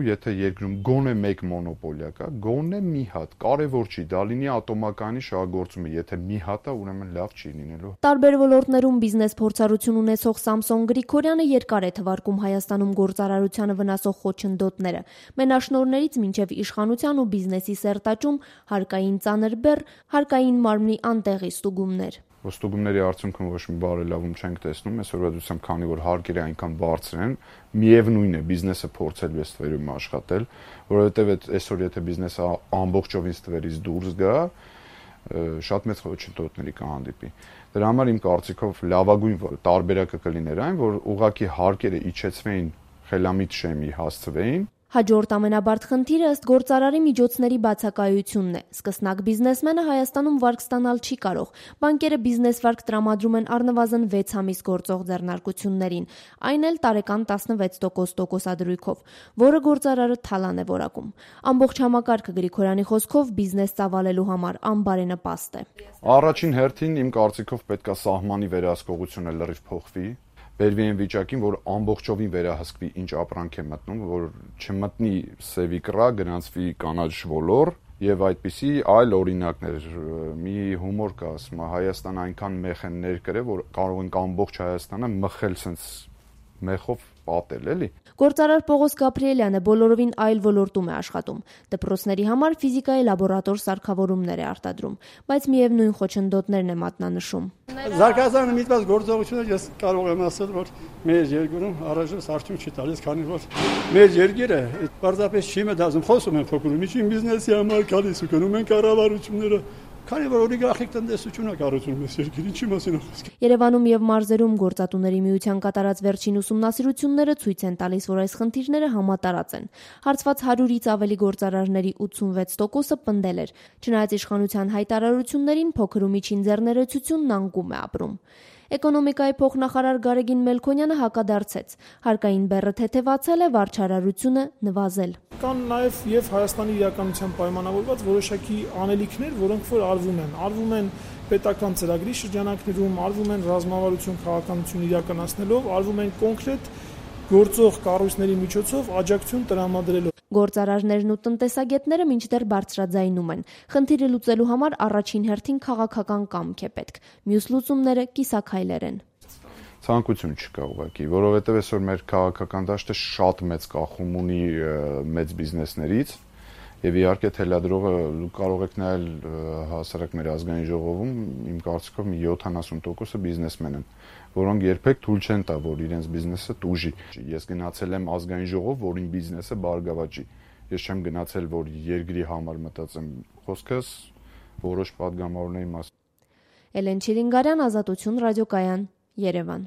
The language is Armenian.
Եթե երկրում գոնե մեկ մոնոպոլիա կա, գոնե մի հատ, կարևոր չի, դա լինի ատոմակայանի շահագործումը, եթե մի հատ է, ուրեմն լավ չի լինելու։ Տարբեր ոլորտներում բիզնես փորձառություն ունեցող Սամսոն Գրիգորյանը երկար է թվարկում Հայաստանում գործարարությանը վնասող խոչընդոտները։ Մենաշնորհներից մինչև իշխանության ու բիզնեսի սերտաճում, հարկային ծանր բեռ, հարկային մարմնի անտեղի ստուգումներ։ Ստուգումների արդյունքում ոչ մի բարելավում չենք տեսնում, այսօրվա դրությամբ, քանի որ հարկերը այնքան բարձր են, միևնույն է բիզնեսը փորձելու է ստվերում աշխատել, որովհետև այսօր եթե բիզնեսը ամբողջովին ստվերից դուրս գա, շատ մեծ խոչընդոտների կհանդիպի։ Դրա համար իմ կարծիքով լավագույն տարբերակը կլիներ այն, որ ուղղակի հարկերը իջեցվեին, խելամիտ շեմի հասցվեին։ Հաջորդ ամենաբարդ խնդիրը ըստ գործարարի միջոցների բացակայությունն է։ Սկսնակ բիզնեսմենը Հայաստանում վարկ ստանալ չի կարող։ Բանկերը բիզնես վարկ տրամադրում են առնվազն 6 ամիս գործող ձեռնարկություններին, այն էլ տարեկան 16% տոկոսադրույքով, որը գործարարը թալան է որակում։ Ամբողջ համակարգը Գրիգորյանի խոսքով բիզնես ծավալելու համար անբարենպաստ է։ Առաջին հերթին իմ կարծիքով պետք է սահմանի վերահսկողությունը լրիվ փոխվի։ Բերվի այն վիճակին, որ ամբողջովին վերահսկվի ինչ ապրանք է մտնում, որ չմտնի սևի կռա, գնացվի կանաչ ոլոր եւ այդպիսի այլ օրինակներ։ Մի հումոր կա, ասում է, Հայաստանը այնքան մեխ են ներկրել, որ կարող ենք ամբողջ Հայաստանը մխել sense մեխով պատել, էլի։ Գործարար Պողոս Գաբրիելյանը բոլորովին այլ ոլորտում է աշխատում։ Դպրոցների համար ֆիզիկայի լաբորատոր սարքավորումներ է արտադրում, բայց միևնույն խոչընդոտներն է մատնանշում։ Զարգացանը միտված գործողությունը ես կարող եմ ասել, որ մեր երկրում առայժմ արդյունք չի տալիս, քանի որ մեր երկիրը պարզապես չի մտածում, խոսում են փոքր ու միջին բիզնեսի համար, գալիս ու գնում են կառավարությունները, քանի որ օլիգարխիկ տնտեսություն է կառուցում այս երկիրը, ինչի մասին է խոսքը։ Երևանում եւ մարզերում գործատուների միության կատարած վերջին ուսումնասիրությունները ցույց են տալիս, որ այս խնդիրները համատարած են։ Հարցված 100-ից ավելի գործարարների 86%-ը պնդել էր։ Չնայած իշխանության հայտարարություններին, փոքր ու միջին ձեռներեցությունն անկում է ապրում։ Էկոնոմիկայի փոխնախարար Գարեգին Մելքոնյանը հակադարձեց. հարկային բեռը թեթևացել է, վարչարարությունը նվազել։ Կան նաև եւ Հայաստանի իրականության պայմանավորված որոշակի անելիքներ, որոնք որ արվում են պետական ծրագրի շրջանակներում, արվում են ռազմավարություն քաղաքականություն իրականացնելով, արվում են կոնկրետ գործող կառույցների միջոցով աջակցություն տրամադրելով։ Գործարարներն ու տնտեսագետները մինչդեռ բարձրաձայնում են։ Խնդիրը լուծելու համար առաջին հերթին քաղաքական կամք է պետք։ Մյուս լուծումները կիսաքայլեր են։ Ցանկություն չկա ուղղակի, որովհետև այսօր մեր քաղաքական դաշտը շատ մեծ կախում ունի մեծ բիզնեսներից, եւ իհարկե թելադրողը կարող եք նայել հասարակ մեր ազգային ժողովում, իմ կարծիքով մի 70%-ը բիզնեսմեն են, որոնք երբեք թույլ չեն տա, որ իրենց բիզնեսը տուժի։ Ես գնացել եմ ազգային ժողով, որին բիզնեսը բարգավաճի։ Ես չեմ գնացել, որ երկրի համար մտածեմ, խոսքս որոշ падգամավորների մասին։ Էլեն Չիլինգարյան, Ազատություն ռադիոկայան, Երևան։